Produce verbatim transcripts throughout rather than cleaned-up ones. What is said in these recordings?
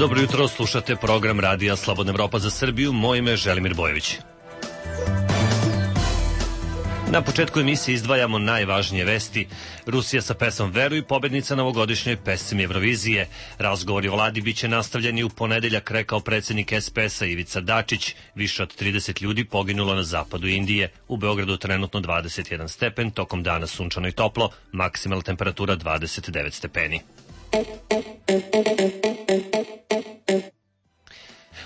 Dobro jutro, slušate program Radija Slobodna Evropa za Srbiju. Moje ime je Želimir Bojović. Na početku emisije izdvajamo najvažnije vesti. Rusija sa pesmom Veruj, pobednica na ovogodišnjoj pesmi Evrovizije. Razgovori o vladi biće nastavljeni u ponedeljak, rekao predsjednik es pe es-a Ivica Dačić. Više od trideset ljudi poginulo na zapadu Indije. U Beogradu trenutno dvadeset jedan stepen, tokom dana sunčano i toplo, maksimalna temperatura dvadeset devet stepeni.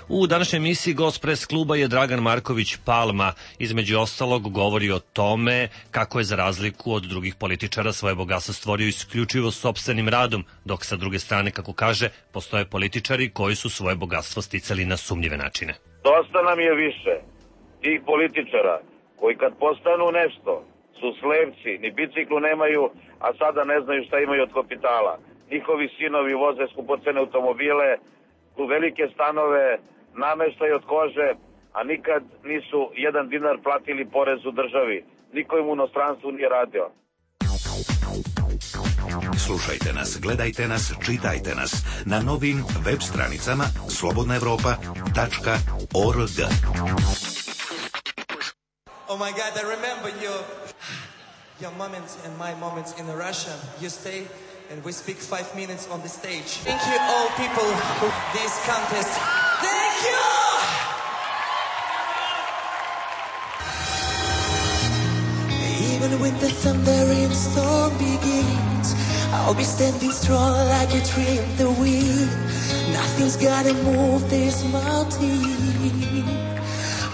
U današnjoj emisiji gost pres kluba je Dragan Marković Palma. Između ostalog govori o tome kako je za razliku od drugih političara svoje bogatstvo stvorio isključivo sopstvenim radom, dok sa druge strane, kako kaže, postoje političari koji su svoje bogatstvo sticali na sumnjive načine. Dosta nam je više tih političara koji kad postanu nešto su slepci, ni biciklu nemaju, a sada ne znaju šta imaju od kapitala. Njihovi sinovi voze skupocene automobile, u velike stanove, nameštaj od kože, a nikad nisu jedan dinar platili porez u državi. Niko im u inostranstvu nije radio. Slušajte nas, gledajte nas, čitajte nas na novim web stranicama slobodna evropa tačka org. Oh my God, I remember your, your moments and my moments in Russia. You stay and we speak five minutes on the stage. Thank you all people who this contest. Thank you! Even when the thundering storm begins, I'll be standing strong like a tree in the wind. Nothing's gonna move this mountain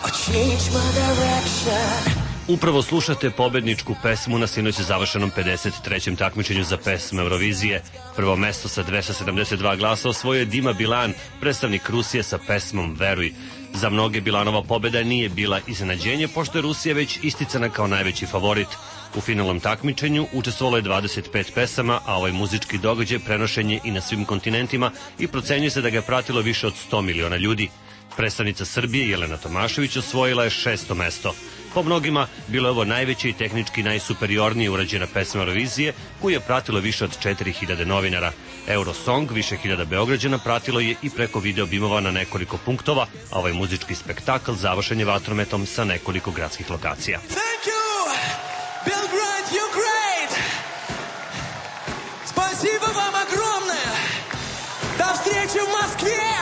or change my direction. Upravo slušate pobedničku pesmu na sinoć završenom pedeset trećem takmičenju za pesmu Eurovizije. Prvo mesto sa dvesta sedamdeset dva glasa osvojio je Dima Bilan, predstavnik Rusije sa pesmom Veruj. Za mnoge Bilanova pobeda nije bila iznenađenje, pošto je Rusija već isticana kao najveći favorit. U finalnom takmičenju učestvovalo je dvadeset pet pesama, a ovaj muzički događaj prenošen je i na svim kontinentima i procenjuje se da ga je pratilo više od sto miliona ljudi. Predstavnica Srbije Jelena Tomašević osvojila je šesto mesto. Po mnogima bilo je ovo najveća i tehnički najsuperiornije urađena pesma Eurovizije, koju je pratilo više od četiri hiljade novinara. Eurosong više hiljada Beograđana pratilo je i preko video bimova na nekoliko punktova, a ovaj muzički spektakl završen je vatrometom sa nekoliko gradskih lokacija. Thank you! Belgrade, you're great! Спасибо вам огромное! До встречи в Москве!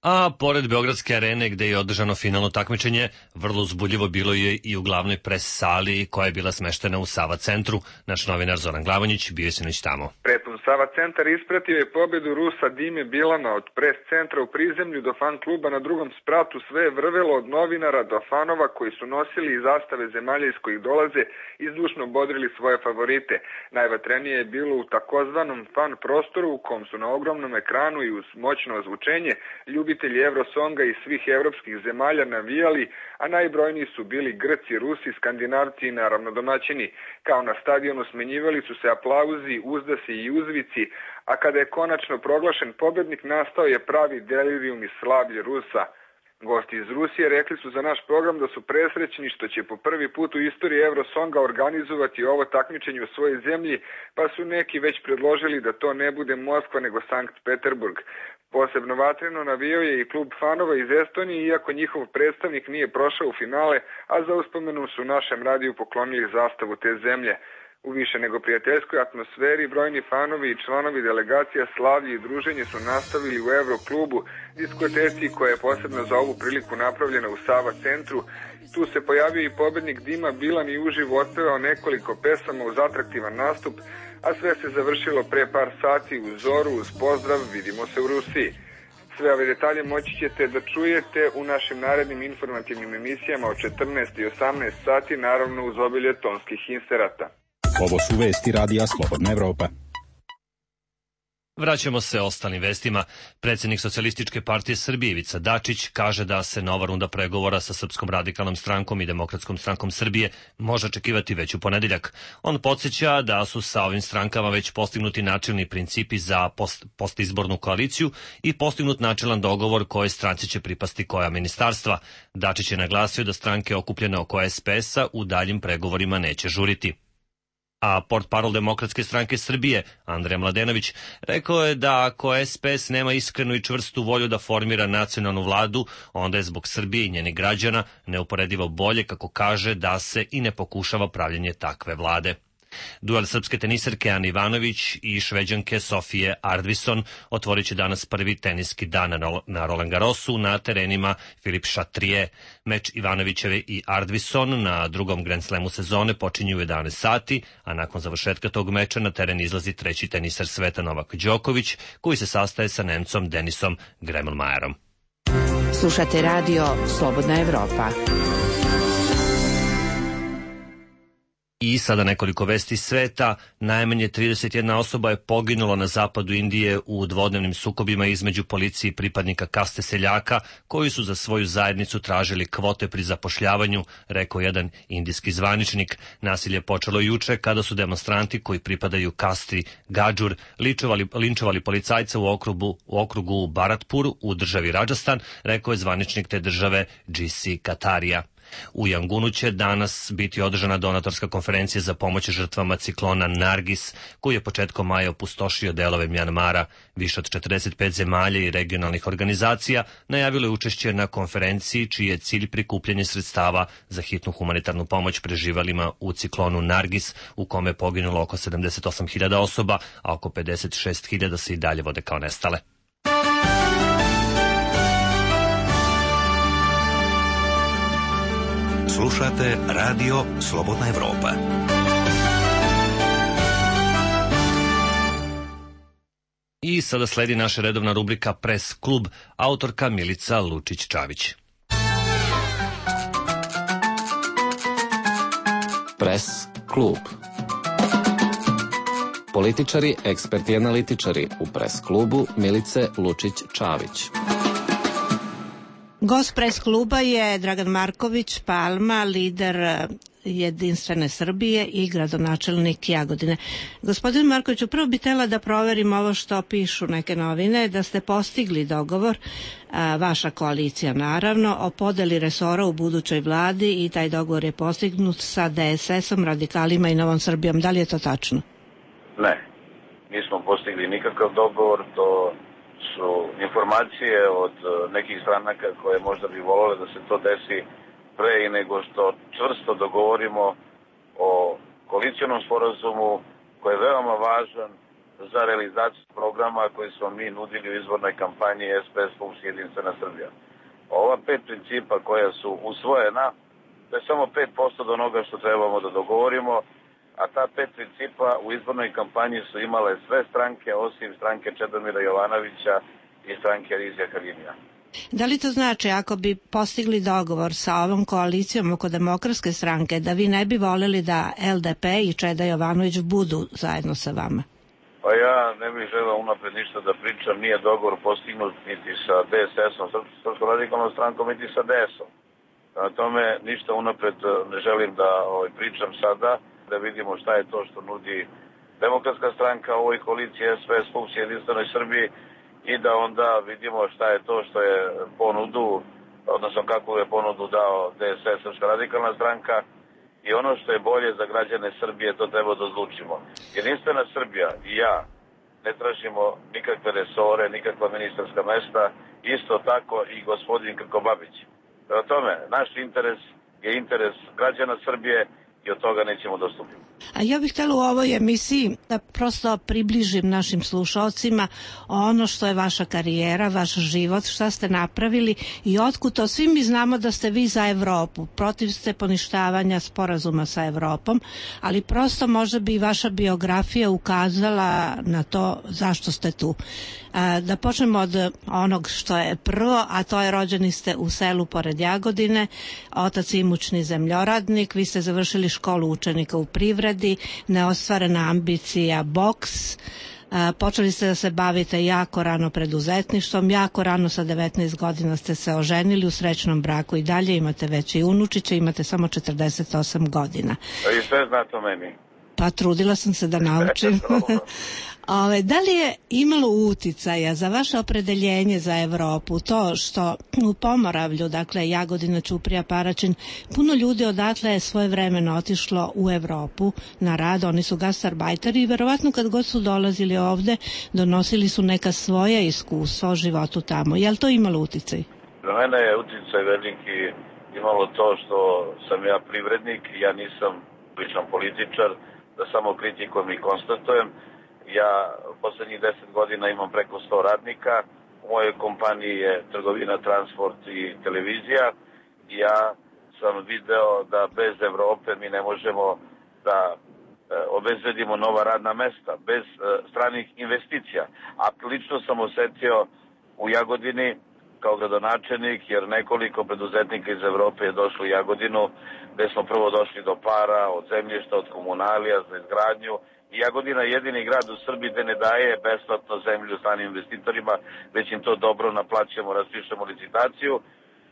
A pored Beogradske arene gde je održano finalno takmičenje, vrlo uzbudljivo bilo je i u glavnoj pres sali koja je bila smeštena u Sava centru. Naš novinar Zoran Glavonjić bio je sinoć tamo. Prepun Sava centar ispratio je pobedu Rusa Dime Bilana od pres centra u prizemlju do fan kluba na drugom spratu. Sve je vrvelo od novinara do fanova koji su nosili i zastave zemalja iz kojih dolaze i zdušno bodrili svoje favorite. Najvatrenije je bilo u takozvanom fan prostoru u kom su na ogromnom ekranu i uz moćno ozvučenje ljubitelji Eurosonga iz svih evropskih zemalja navijali, a najbrojniji su bili Grci, Rusi, Skandinavci i naravno domaćini. Kao na stadionu smenjivali su se aplauzi, uzdasi i uzvici, a kada je konačno proglašen pobednik, nastao je pravi delirium i slavlje Rusa. Gosti iz Rusije rekli su za naš program da su presrećni što će po prvi put u istoriji Eurosonga organizovati ovo takmičenje u svojoj zemlji, pa su neki već predložili da to ne bude Moskva nego Sankt Peterburg. Posebno vatreno navijao je i klub fanova iz Estonije, iako njihov predstavnik nije prošao u finale, a za uspomenu su našem radiju poklonili zastavu te zemlje. U više nego prijateljskoj atmosferi brojni fanovi i članovi delegacija slavlje i druženje su nastavili u Euroklubu, diskoteci koja je posebno za ovu priliku napravljena u Sava centru. Tu se pojavio i pobednik Dima Bilan i uživo otpevao nekoliko pesama uz atraktivan nastup, a sve se završilo pre par sati u zoru uz pozdrav "Vidimo se u Rusiji". Sve ove detalje moći ćete da čujete u našim narednim informativnim emisijama od četrnaest i osamnaest sati, naravno uz obilje tonskih inserata. Ovo su vesti Radija Slobodna Evropa. Vraćamo se ostalim vestima. Predsjednik Socijalističke partije Srbije Ivica Dačić kaže da se nova runda pregovora sa Srpskom radikalnom strankom i Demokratskom strankom Srbije može očekivati već u ponedeljak. On podsjeća da su sa ovim strankama već postignuti načelni principi za post, postizbornu koaliciju i postignut načelan dogovor koje stranci će pripasti koja ministarstva. Dačić je naglasio da stranke okupljene oko es pe es-a u daljim pregovorima neće žuriti. A portparol Demokratske stranke Srbije, Andrija Mladenović, rekao je da ako es pe es nema iskrenu i čvrstu volju da formira nacionalnu vladu, onda je zbog Srbije i njenih građana neuporedivo bolje, kako kaže, da se i ne pokušava pravljenje takve vlade. Duel srpske teniserke Ane Ivanović i šveđanke Sofije Ardvisson otvorit će danas prvi teniski dan na Roland Garrosu na terenima Filip Chatrier. Meč Ivanovićeve i Ardvisson na drugom Grand Slamu sezone počinju u jedanaest sati, a nakon završetka tog meča na teren izlazi treći teniser sveta Novak Đoković, koji se sastaje sa Nemcom Denisom Gremelmajerom. Slušate radio Slobodna Evropa. I sada nekoliko vesti sveta. Najmanje trideset jedna osoba je poginulo na zapadu Indije u dvodnevnim sukobima između policije i pripadnika kaste seljaka, koji su za svoju zajednicu tražili kvote pri zapošljavanju, rekao jedan indijski zvaničnik. Nasilje je počelo juče kada su demonstranti koji pripadaju kasti Gadžur linčovali, linčovali policajca u okrugu, u okrugu Bharatpur u državi Rajasthan, rekao je zvaničnik te države G C Katarija. U Jangunu će danas biti održana donatorska konferencija za pomoć žrtvama ciklona Nargis, koji je početkom maja opustošio delove Mjanmara. Više od četrdeset pet zemalja i regionalnih organizacija najavilo je učešće na konferenciji, čiji je cilj prikupljanje sredstava za hitnu humanitarnu pomoć preživalima u ciklonu Nargis, u kome je poginulo oko sedamdeset osam hiljada osoba, a oko pedeset šest hiljada se i dalje vode kao nestale. Slušate radio Slobodna Evropa. I sada sledi naša redovna rubrika Pres klub, autorka Milica Lučić-Čavić. Pres klub. Političari, eksperti i analitičari u Pres klubu Milice Lučić-Čavić. Gost Pres kluba je Dragan Marković Palma, lider Jedinstvene Srbije i gradonačelnik Jagodine. Gospodin Marković, upravo bi htela da proverim ovo što pišu neke novine, da ste postigli dogovor, a, vaša koalicija naravno, o podeli resora u budućoj vladi i taj dogovor je postignut sa de es esom, Radikalima i Novom Srbijom. Da li je to tačno? Ne, nismo postigli nikakav dogovor, to su informacije od nekih stranaka koje možda bi volele da se to desi pre i nego što čvrsto dogovorimo o koalicionom sporazumu koji je veoma važan za realizaciju programa koji smo mi nudili u izbornoj kampanji es pe es plus Jedinstvena Srbija. Ova pet principa koja su usvojena, to je samo pet posto do onoga što trebamo da dogovorimo, a ta pet principa u izbornoj kampanji su imale sve stranke osim stranke Čedomira Jovanovića i stranke Rizija Halimija. Da li to znači, ako bi postigli dogovor sa ovom koalicijom oko Demokratske stranke, da vi ne bi voleli da el de pe i Čeda Jovanović budu zajedno sa vama? Pa ja ne bih želeo unapred ništa da pričam, nije dogovor postignut niti sa de es esom, Srpskom radikalnom strankom, niti sa de esom. Na tome ništa unapred ne želim da ovaj, pričam sada, da vidimo šta je to što nudi Demokratska stranka u ovoj koaliciji es pe es plus Jedinstvenoj Srbiji i da onda vidimo šta je to što je ponudu, odnosno kakvu je ponudu dao de es es, Srpska radikalna stranka, i ono što je bolje za građane Srbije, to treba da odlučimo. Jedinstvena Srbija i ja ne tražimo nikakve resore, nikakva ministarska mesta, isto tako i gospodin Krkobabić. Prema tome, naš interes je interes građana Srbije i od toga nećemo dostupiti. A ja bih htjela u ovoj emisiji da prosto približim našim slušalcima ono što je vaša karijera, vaš život, šta ste napravili i otkud to. Svi mi znamo da ste vi za Evropu, protiv ste poništavanja sporazuma sa Evropom, ali prosto možda bi vaša biografija ukazala na to zašto ste tu. Da počnemo od onog što je prvo, a to je rođeni ste u selu pored Jagodine, otac imućni zemljoradnik, vi ste završili školu učenika u privredi, neostvarena ambicija boks, počeli ste da se bavite jako rano preduzetništvom, jako rano sa devetnaest godina ste se oženili u srećnom braku i dalje imate već i unučiće, imate samo četrdeset osam godina. I sve znate o meni. Pa trudila sam se da naučim. Ove, da li je imalo uticaja za vaše opredeljenje za Evropu to što u Pomoravlju, dakle Jagodina, Ćuprija, Paraćin, puno ljudi odatle je svoje vremeno otišlo u Evropu na rad, oni su gastarbajteri i verovatno kad god su dolazili ovde donosili su neka svoja iskustva o životu tamo. Je li to imalo uticaj? Za mene je uticaj veliki imalo to što sam ja privrednik, ja nisam ličan političar, da samo kritikujem i konstatujem. Ja poslednjih deset godina imam preko sto radnika, u mojoj kompaniji je trgovina, transport i televizija. Ja sam video da bez Evrope mi ne možemo da e, obezbedimo nova radna mesta, bez e, stranih investicija. A lično sam osetio u Jagodini kao gradonačelnik, jer nekoliko preduzetnika iz Evrope je došlo u Jagodinu, gde smo prvo došli do para, od zemljišta, od komunalija za izgradnju. I Jagodina je jedini grad u Srbiji gde ne daje besplatno zemlju stranim investitorima, već im to dobro naplaćujemo, raspišemo licitaciju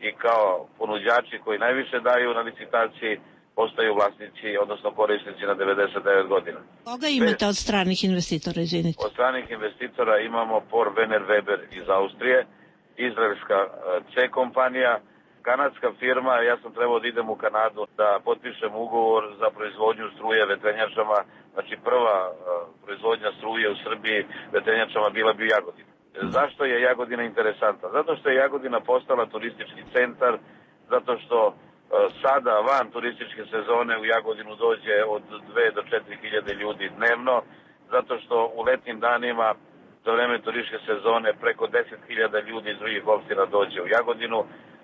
i kao ponuđači koji najviše daju na licitaciji postaju vlasnici, odnosno korisnici na devedeset devet godina. Koga imate od stranih investitora, izvinite? Od stranih investitora imamo Por Vener Weber iz Austrije, izraelska C kompanija, kanadska firma. Ja sam trebao da idem u Kanadu da potpišem ugovor za proizvodnju struje vetrenjačama. Znači prva uh, proizvodnja struje u Srbiji vetrenjačama bila bi u Jagodini. Zašto je Jagodina interesantna? Zato što je Jagodina postala turistički centar, zato što uh, sada van turističke sezone u Jagodinu dođe od dve do četiri hiljade ljudi dnevno, zato što u letnim danima za vreme turističke sezone preko deset hiljada ljudi iz drugih opština dođe u Jagodinu.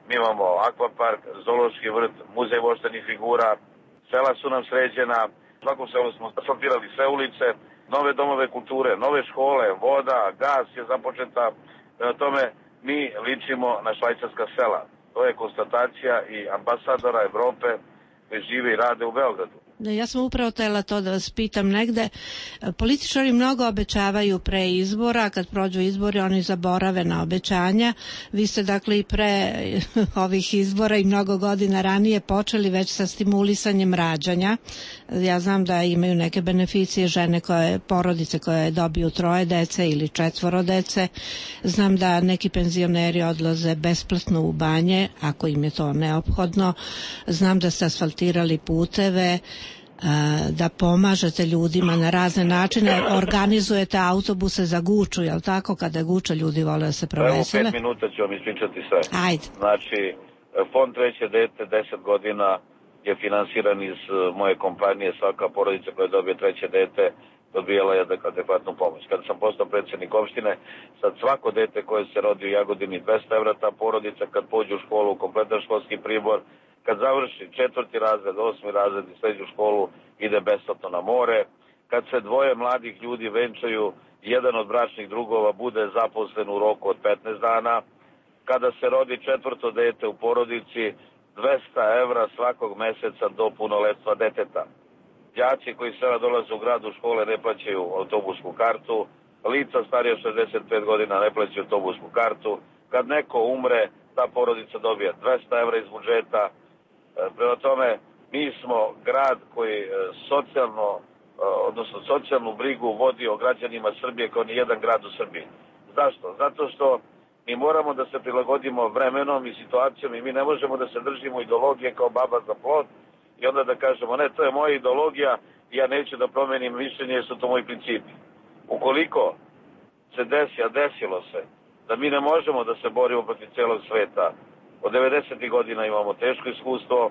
Mi imamo akvapark, zoološki vrt, muzej voštanih figura, sela su nam sređena, u svakom selu smo asfaltirali sve ulice, nove domove kulture, nove škole, voda, gas je započeta. Prema tome, mi ličimo na švajcarska sela. To je konstatacija i ambasadora Evrope koji žive i rade u Beogradu. Ja sam upravo tela to da vas pitam negde. Političari mnogo obećavaju pre izbora, kad prođu izbori oni zaborave na obećanja. Vi ste dakle i pre ovih izbora i mnogo godina ranije počeli već sa stimulisanjem rađanja. Ja znam da imaju neke beneficije žene koje, porodice koje dobiju troje dece ili četvoro dece. Znam da neki penzioneri odlaze besplatno u banje, ako im je to neophodno. Znam da ste asfaltirali puteve, da pomažete ljudima na razne načine, organizujete autobuse za Guču, jel tako? Kada je Guča, ljudi vole da se provesele. Evo pet minuta ću vam ispričati sve. Ajde. Znači, fond treće dete, deset godina je finansiran iz moje kompanije. Svaka porodica koja dobije treće dete dobijala je adekvatnu pomoć. Kada sam postao predsjednik opštine, sad svako dete koje se rodi u Jagodini dvesta evra, ta porodica kad pođe u školu, kompletan školski pribor, kad završi četvrti razred, osmi razred i srednju školu, ide besplatno na more. Kad se dvoje mladih ljudi venčaju, jedan od bračnih drugova bude zaposlen u roku od petnaest dana. Kada se rodi četvrto dete u porodici, dvesta evra svakog meseca do punoletstva deteta. Đaci koji sada dolaze u grad u škole ne plaćaju autobusku kartu, lica starije od šezdeset pet godina ne plaćaju autobusku kartu. Kad neko umre, ta porodica dobija dvesta evra iz budžeta. Prema tome, mi smo grad koji socijalno, odnosno socijalnu brigu vodi o građanima Srbije kao ni jedan grad u Srbiji. Zašto? Zato što mi moramo da se prilagodimo vremenom i situacijom i mi ne možemo da se držimo ideologije kao baba za plod i onda da kažemo ne, to je moja ideologija i ja neću da promenim mišljenje jer su to moji principi. Ukoliko se desi, a desilo se, da mi ne možemo da se borimo protiv celog sveta, od devedesetih godina imamo teško iskustvo,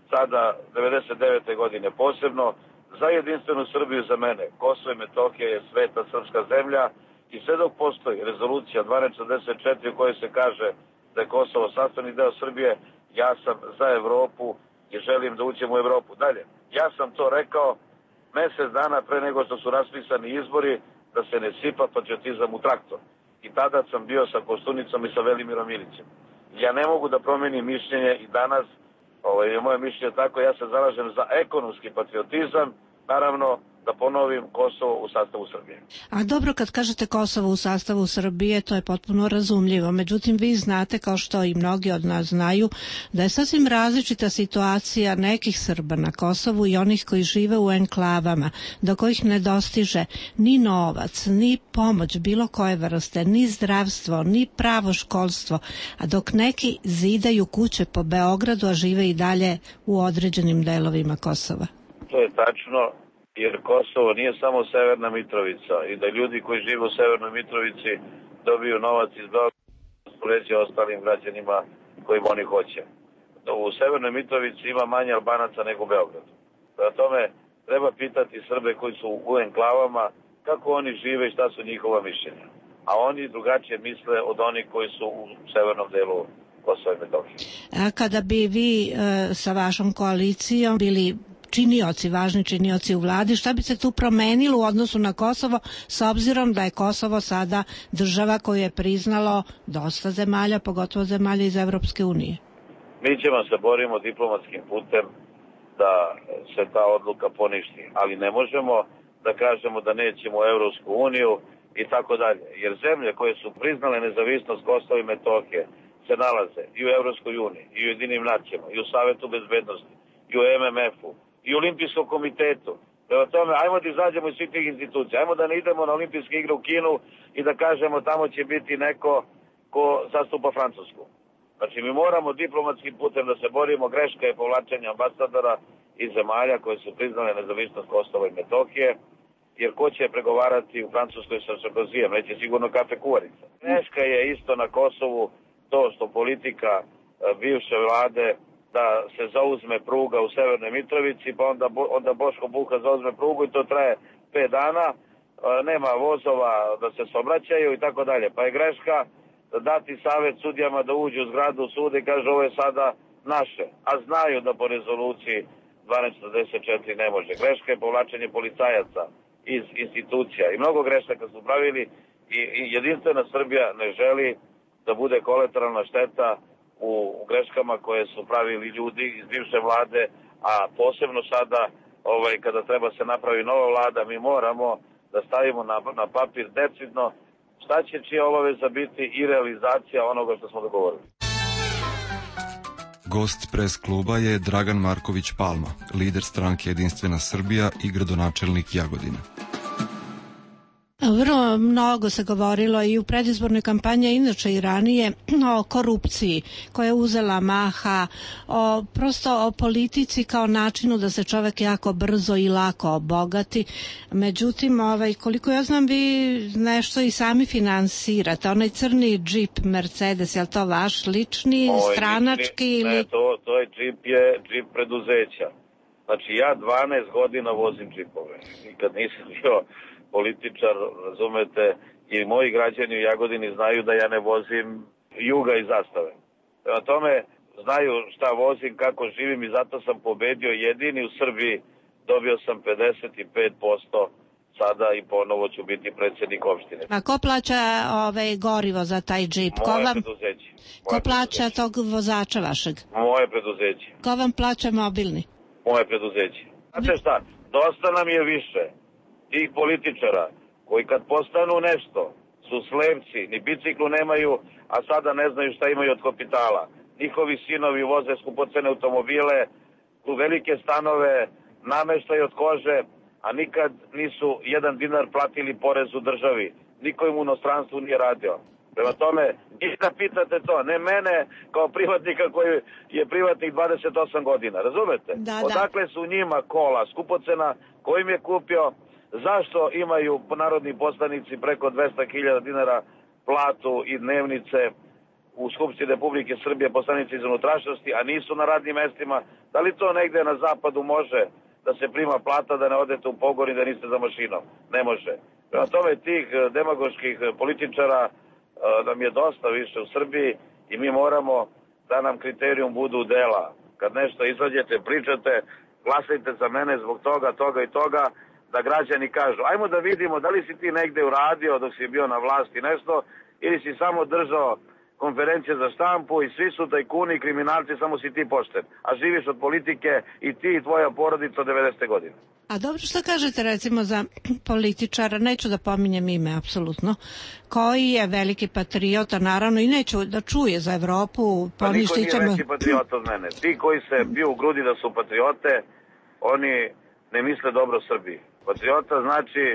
sada devedeset devete godine posebno. Za jedinstvenu Srbiju za mene Kosovo i Metohija je sveta srpska zemlja i sve dok postoji rezolucija dvanaest četrdeset četiri u kojoj se kaže da je Kosovo sastavni deo Srbije, ja sam za Evropu i želim da uđem u Evropu. Dalje, ja sam to rekao mesec dana pre nego što su raspisani izbori da se ne sipa patriotizam u traktor. I tada sam bio sa Koštunicom i sa Velimirom Ilićem. Ja ne mogu da promenim mišljenje i danas, ovo je moje mišljenje tako, ja se zalažem za ekonomski patriotizam, naravno da ponovim, Kosovo u sastavu Srbije. A dobro, kad kažete Kosovo u sastavu Srbije, to je potpuno razumljivo. Međutim, vi znate, kao što i mnogi od nas znaju, da je sasvim različita situacija nekih Srba na Kosovu i onih koji žive u enklavama, do kojih ne dostiže ni novac, ni pomoć bilo koje vrste, ni zdravstvo, ni pravo školstvo, a dok neki zidaju kuće po Beogradu, a žive i dalje u određenim delovima Kosova. To je tačno, jer Kosovo nije samo Severna Mitrovica i da ljudi koji žive u Severnoj Mitrovici dobiju novac iz Beograda uspoređuje ostalim građanima kojim oni hoće. U Severnoj Mitrovici ima manje Albanaca nego u Beogradu. Prema tome treba pitati Srbe koji su u enklavama kako oni žive i šta su njihova mišljenja. A oni drugačije misle od onih koji su u severnom delu Kosova i Metohije. A kada bi vi e, sa vašom koalicijom bili činioci, važni činioci u vladi, šta bi se tu promenilo u odnosu na Kosovo, s obzirom da je Kosovo sada država koju je priznalo dosta zemalja, pogotovo zemalja iz Evropske unije? Mi ćemo se borimo diplomatskim putem da se ta odluka poništi, ali ne možemo da kažemo da nećemo u Evropsku uniju i tako dalje, jer zemlje koje su priznale nezavisnost Kosova i Metohije se nalaze i u Evropskoj uniji, i u Jedinim nacijama, i u Savetu bezbednosti, i u em em efu, i u Olimpijskom komitetu. Prema tome, ajmo da izađemo iz svih tih institucija, ajmo da ne idemo na olimpijske igre u Kinu i da kažemo tamo će biti neko ko zastupa Francusku. Znači, mi moramo diplomatskim putem da se borimo, greška je povlačenje ambasadora iz zemalja koje su priznale nezavisnost Kosova i Metohije, jer ko će pregovarati u Francuskoj sa Sarkozijem, neće sigurno kafe kuvarica. Greška je isto na Kosovu to što politika bivše vlade da se zauzme pruga u Severnoj Mitrovici, pa onda, onda Boško Buha zauzme prugu i to traje pet dana, nema vozova da se saobraćaju i tako dalje. Pa je greška dati savjet sudijama da uđu u zgradu suda i kaže ovo je sada naše, a znaju da po rezoluciji dvanaest četrdeset četiri ne može. Greška je povlačenje policajaca iz institucija i mnogo grešaka su pravili i, i jedinstvena Srbija ne želi da bude kolateralna šteta u, u greškama koje su pravili ljudi iz bivše vlade, a posebno sada ovaj, kada treba se napravi nova vlada, mi moramo da stavimo na, na papir decidno šta će čija obaveza biti i realizacija onoga što smo dogovorili. Gost pres kluba je Dragan Marković Palma, lider stranke Jedinstvena Srbija i gradonačelnik Jagodine. Vrlo mnogo se govorilo i u predizbornoj kampanji, inače i ranije, o korupciji koja je uzela maha, o, prosto o politici kao načinu da se čovek jako brzo i lako obogati. Međutim, ovaj, koliko ja znam, vi nešto i sami finansirate. Onaj crni džip Mercedes, je li to vaš lični, Oj, stranački? Lični, ili... Ne, to, to je džip, je džip preduzeća. Znači, ja dvanaest godina vozim džipove. Nikad nisam bio političar, razumete, i moji građani u Jagodini znaju da ja ne vozim Juga i Zastave. Prema tome, znaju šta vozim, kako živim i zato sam pobedio jedini u Srbiji, dobio sam pedeset pet posto sada i ponovo ću biti predsjednik opštine. A ko plaća ove, gorivo za taj džip? Moje ko vam, preduzeće. Moje ko plaća preduzeće. tog vozača vašeg? Moje preduzeće. Ko vam plaća mobilni? Moje preduzeće. Znate šta, dosta nam je više tih političara koji kad postanu nešto su slepci, ni biciklu nemaju, a sada ne znaju šta imaju od kapitala. Njihovi sinovi voze skupocene automobile, tu velike stanove, nameštaj od kože, a nikad nisu jedan dinar platili porez u državi. Niko im u inostranstvu nije radio. Prema tome, i da pitate to, ne mene kao privatnika koji je privatnik dvadeset osam godina, razumete? Da, da. Odakle su njima kola skupocena, ko im je kupio, zašto imaju narodni poslanici preko dvesta hiljada dinara platu i dnevnice u Skupštini Republike Srbije, poslanici iz unutrašnjosti, a nisu na radnim mestima? Da li to negde na zapadu može da se prima plata, da ne odete u pogon i da niste za mašinom? Ne može. Prema tome, tih demagoških političara nam je dosta više u Srbiji i mi moramo da nam kriterijum budu dela. Kad nešto izađete, pričate, glasajte za mene zbog toga, toga i toga, da građani kažu, ajmo da vidimo da li si ti negde uradio dok si bio na vlasti nešto ili si samo držao konferencije za štampu i svi su tajkuni i kriminalci, samo si ti pošten. A živiš od politike i ti i tvoja porodica od devedesete godine. A dobro, što kažete recimo za političara, neću da pominjem ime apsolutno, koji je veliki patriota, naravno, i neću da čuje za Evropu. Pa niko nije veći patriota od mene. Ti koji se bio u grudi da su patriote, oni ne misle dobro Srbiji. Patriota znači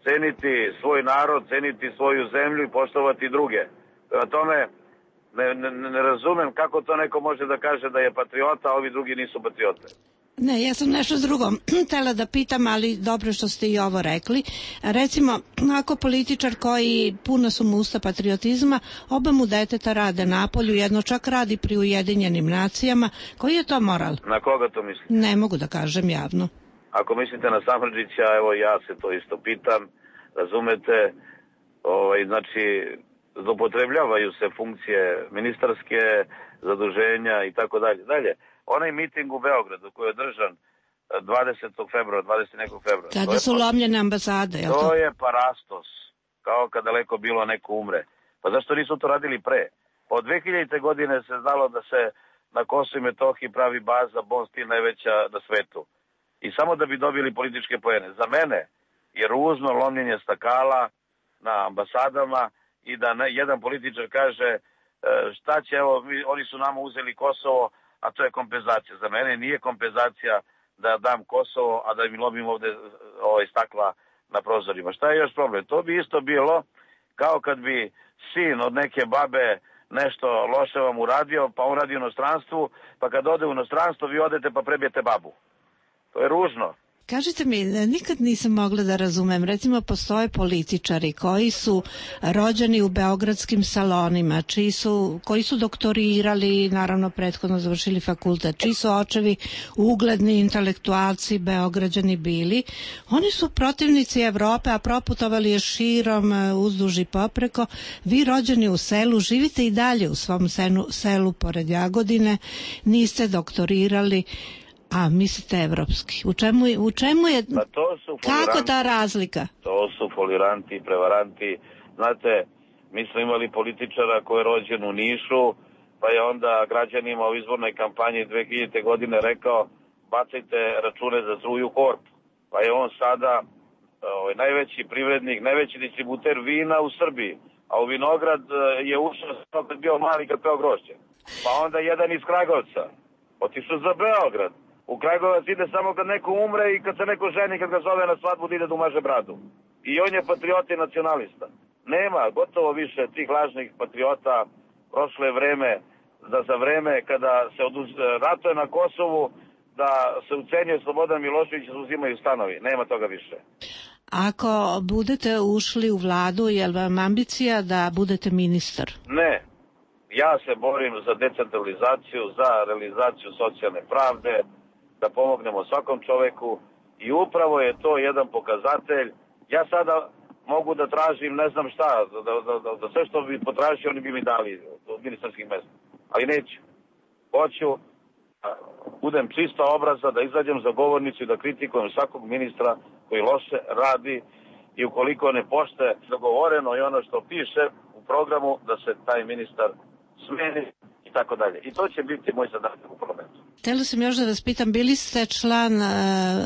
ceniti svoj narod, ceniti svoju zemlju i poštovati druge. Prema tome, ne, ne, ne razumem kako to neko može da kaže da je patriota, a ovi drugi nisu patriote. Ne, ja sam nešto drugo htela da pitam, ali dobro što ste i ovo rekli. Recimo, ako političar koji puna su mu usta patriotizma, oba mu deteta rade napolju, jedno čak radi pri Ujedinjenim nacijama, koji je to moral? Na koga to misli? Ne mogu da kažem javno. Ako mislite na Samardžića, evo ja se to isto pitam, razumete, ovaj, znači, zloupotrebljavaju se funkcije ministarske, zaduženja i tako dalje. Dalje, onaj miting u Beogradu koji je održan dvadesetog februara, dvadesetog nekog februara. Kada su lomljene ambasade, je li to? To je parastos, kao kad daleko bilo neko umre. Pa zašto nisu to radili pre? Od dve hiljadite godine se znalo da se na Kosovu i Metohiji pravi baza Bon Steel najveća na svetu. I samo da bi dobili političke poene. Za mene je ružno lomljenje stakala na ambasadama i da ne, jedan političar kaže šta će, evo, oni su nama uzeli Kosovo, a to je kompenzacija. Za mene nije kompenzacija da dam Kosovo, a da mi lomim ovde ovaj, stakla na prozorima. Šta je još problem? To bi isto bilo kao kad bi sin od neke babe nešto loše vam uradio, pa on radi u inostranstvu, pa kad ode u inostranstvo vi odete pa prebijete babu. To je ružno. Kažite mi, nikad nisam mogla da razumem, recimo postoje političari koji su rođeni u beogradskim salonima, čiji su, koji su doktorirali, naravno prethodno završili fakultet, čiji su očevi ugledni intelektualci, beograđani bili. Oni su protivnici Evrope, a proputovali je širom, uzduž i popreko. Vi rođeni u selu, živite i dalje u svom senu, selu pored Jagodine, niste doktorirali. A, mislite evropski. U čemu, u čemu je, pa to su kako ta razlika? To su foliranti i prevaranti. Znate, mi smo imali političara koji je rođen u Nišu, pa je onda građanima u izbornoj kampanji dve hiljadite godine rekao bacajte račune za struju u korpu. Pa je on sada ovaj, najveći privrednik, najveći distributer vina u Srbiji. A u vinograd je ušao kad bio mali, kad peo grošće. Pa onda jedan iz Kragovca otišao za Beograd. U Kragujevac ide samo kad neko umre i kad se neko ženi, kad ga zove na svadbu da ide da umaže bradu. I on je patriot i nacionalista. Nema gotovo više tih lažnih patriota. Prošlo je vreme da za vreme kada se oduz... ratuje na Kosovu, da se ucenjuje Slobodan Milošević i uzimaju stanovi. Nema toga više. Ako budete ušli u vladu, je li vam ambicija da budete ministar? Ne. Ja se borim za decentralizaciju, za realizaciju socijalne pravde, da pomognemo svakom čoveku i upravo je to jedan pokazatelj. Ja sada mogu da tražim ne znam šta, da, da, da, da sve što bi potražio oni bi mi dali od ministarskih mesta, ali neću. Hoću da budem čista obraza, da izađem za govornicu i da kritikujem svakog ministra koji loše radi i ukoliko ne pošte dogovoreno i ono što piše u programu da se taj ministar smeni i tako dalje. I to će biti moj zadatak u parlamentu. Htela sam još da vas pitam, bili ste član uh,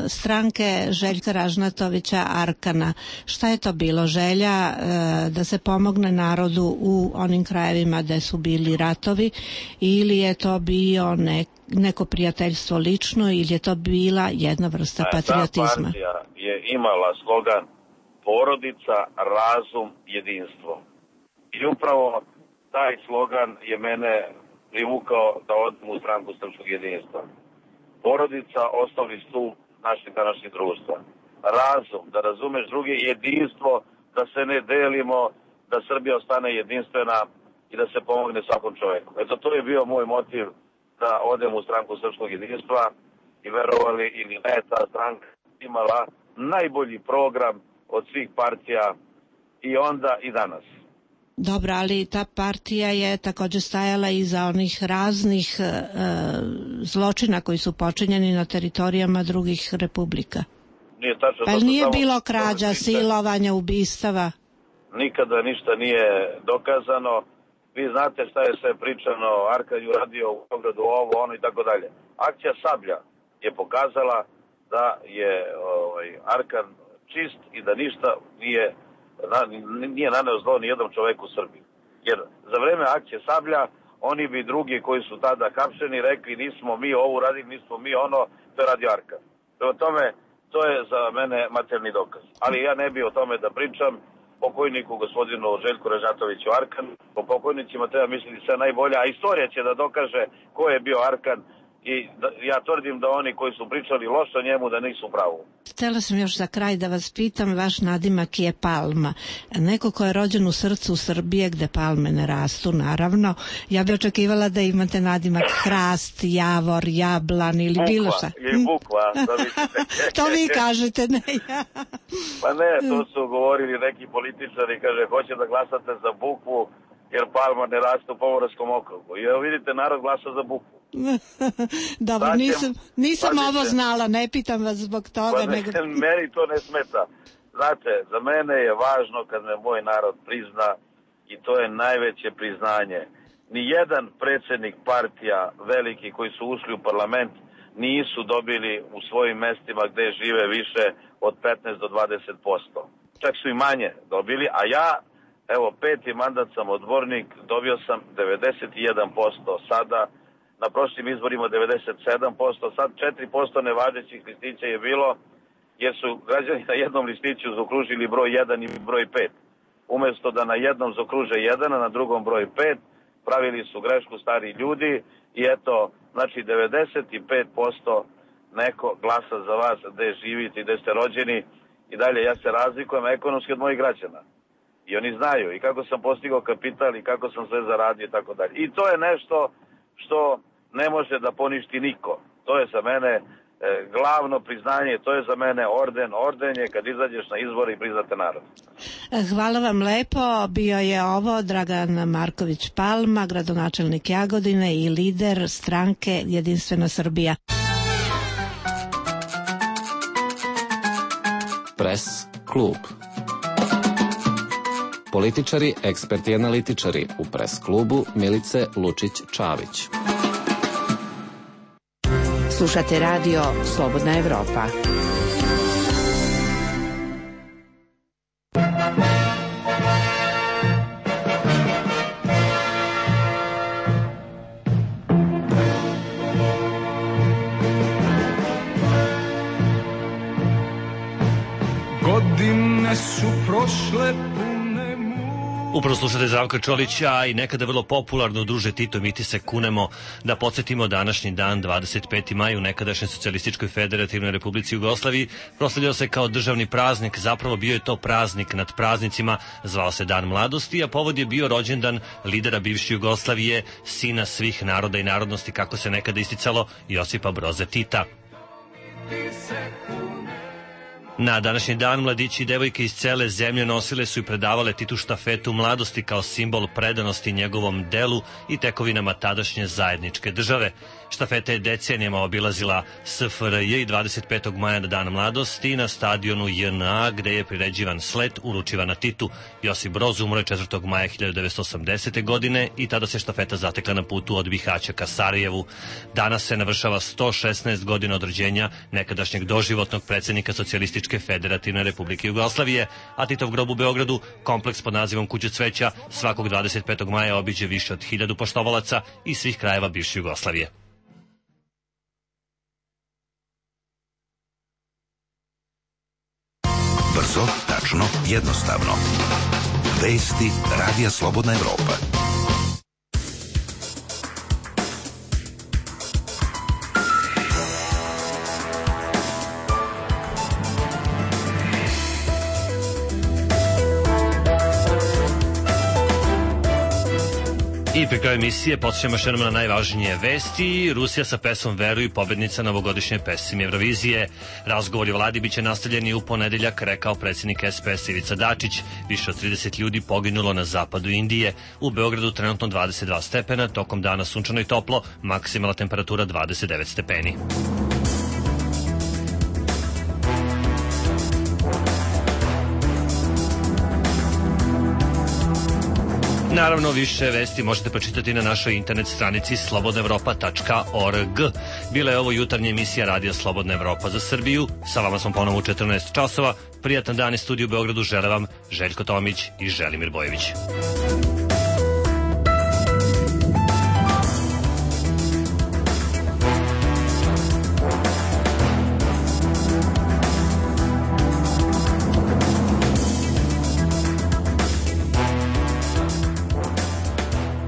stranke Željka Ražnatovića Arkana. Šta je to bilo? Želja uh, da se pomogne narodu u onim krajevima gde su bili ratovi ili je to bio nek, neko prijateljstvo lično ili je to bila jedna vrsta e, patriotizma? Ta partija je imala slogan porodica, razum, jedinstvo. I upravo taj slogan je mene privukao da odem u stranku srpskog jedinstva. Porodica, osnovni stup našeg današnjeg društva. Razum, da razumeš druge, jedinstvo, da se ne delimo, da Srbija ostane jedinstvena i da se pomogne svakom čoveku. Eto, to je bio moj motiv da odem u stranku srpskog jedinstva i verovali ili ne, ta stranka imala najbolji program od svih partija i onda i danas. Dobro, ali ta partija je također stajala iza onih raznih e, zločina koji su počinjeni na teritorijama drugih republika. Nije tačno. Pa nije samo bilo krađa, silovanja, ubistava? Nikada ništa nije dokazano. vi znate šta je sve pričano, Arkan je uradio u Beogradu ovo, ono i tako dalje. Akcija Sablja je pokazala da je ovaj, Arkan čist i da ništa nije, na, nije naneo zlo ni jednom čoveku u Srbiji. Jer za vreme akcije Sablja oni bi drugi koji su tada hapšeni rekli nismo mi ovo uradili, nismo mi ono, to je radio Arkan. Prema tome, to je za mene materijalni dokaz. Ali ja ne bi o tome da pričam. Pokojniku gospodinu Željku Ražnatoviću Arkan, po pokojnicima treba misliti sve najbolje, a istorija će da dokaže ko je bio Arkan i da, ja tvrdim da oni koji su pričali loše o njemu da nisu pravu. Htela sam još za kraj da vas pitam, vaš nadimak je Palma. Neko ko je rođen u srcu Srbije gde palme ne rastu, naravno. Ja bi očekivala da imate nadimak Hrast, Javor, Jablan ili bukva, bilo šta. Ili bukva, da to vi kažete, ne ja. Pa ne, to su govorili neki političari, kaže, hoće da glasate za bukvu jer palma ne raste u Pomoravskom okrugu. I evo vidite, narod glasa za bukvu. Dobro, Zatim, nisam, nisam ovo znala, ne pitam vas zbog toga. Pa ne, nego... meni to ne smeta. Znate, za mene je važno kad me moj narod prizna i to je najveće priznanje. Nijedan predsjednik partija veliki koji su ušli u parlament nisu dobili u svojim mestima gde žive više od petnaest do dvadeset posto. Čak su i manje dobili, a ja, evo, peti mandat sam odbornik, dobio sam devedeset jedan posto sada, na prošlim izborima devedeset sedam posto, sad četiri posto nevažećih listića je bilo, jer su građani na jednom listiću zaokružili broj jedan i broj pet. Umesto da na jednom zaokruže jedan, a na drugom broj pet, pravili su grešku stari ljudi i eto, znači devedeset pet posto neko glasa za vas gde živite i gde ste rođeni i dalje ja se razlikujem ekonomski od mojih građana. I oni znaju i kako sam postigao kapital i kako sam sve zaradio i tako dalje. I to je nešto što ne može da poništi niko. To je za mene e, glavno priznanje, to je za mene orden. Orden je kad izađeš na izbore i priznate narod. Hvala vam lepo. Bio je ovo Dragan Marković Palma, gradonačelnik Jagodine i lider stranke Jedinstvena Srbija. Pres klub. Političari, eksperti i analitičari u Pres klubu Milice Lučić-Čavić. Slušate radio Slobodna Evropa. Godine su prošle. Upravo slušate Zdravka Čolića i nekada vrlo popularno druže Tito, mi ti se kunemo, da podsjetimo današnji dan, dvadeset peti maj, u nekadašnjoj Socijalističkoj Federativnoj Republici Jugoslaviji proslavljao se kao državni praznik, zapravo bio je to praznik nad praznicima, zvao se Dan mladosti, a povod je bio rođendan lidera bivše Jugoslavije, sina svih naroda i narodnosti, kako se nekada isticalo, Josipa Broze Tita. Na današnji dan mladići i devojke iz cele zemlje nosile su i predavale Titu štafetu mladosti kao simbol predanosti njegovom delu i tekovinama tadašnje zajedničke države. Štafeta je decenijama obilazila S F R J i dvadeset petog maja na dan mladosti na stadionu J N A gde je priređivan slet uručivan na Titu. Josip Broz umro je četvrtog maja hiljadu devetsto osamdesete. godine i tada se štafeta zatekla na putu od Bihaća ka Sarajevu. Danas se navršava sto šesnaest godina od rođenja nekadašnjeg doživotnog predsjednika Socijalističke Federativne Republike Jugoslavije, a Titov grob u Beogradu, kompleks pod nazivom Kuća cveća, svakog dvadeset petog maja obiđe više od hiljadu poštovalaca iz svih krajeva bivše Jugoslavije. Brzo, tačno, jednostavno. Vesti Radija Slobodna Evropa. I pri kraju emisije podsjećamo još jednom na najvažnije vesti. Rusija sa pesmom Veruj, pobednica novogodišnje pesme Eurovizije. Razgovori o vladi biće nastavljeni u ponedeljak, rekao predsjednik S P S Ivica Dačić. Više od trideset ljudi poginulo na zapadu Indije. U Beogradu trenutno dvadeset dva stepena, tokom dana sunčano i toplo, maksimalna temperatura dvadeset devet stepeni. Naravno, više vesti možete pročitati na našoj internet stranici slobodna evropa tačka org. Bila je ovo jutarnja emisija Radija Slobodna Evropa za Srbiju. Sa vama smo ponovo u četrnaest časova. Prijatan dan iz studiju u Beogradu žele vam Željko Tomić i Želimir Bojević.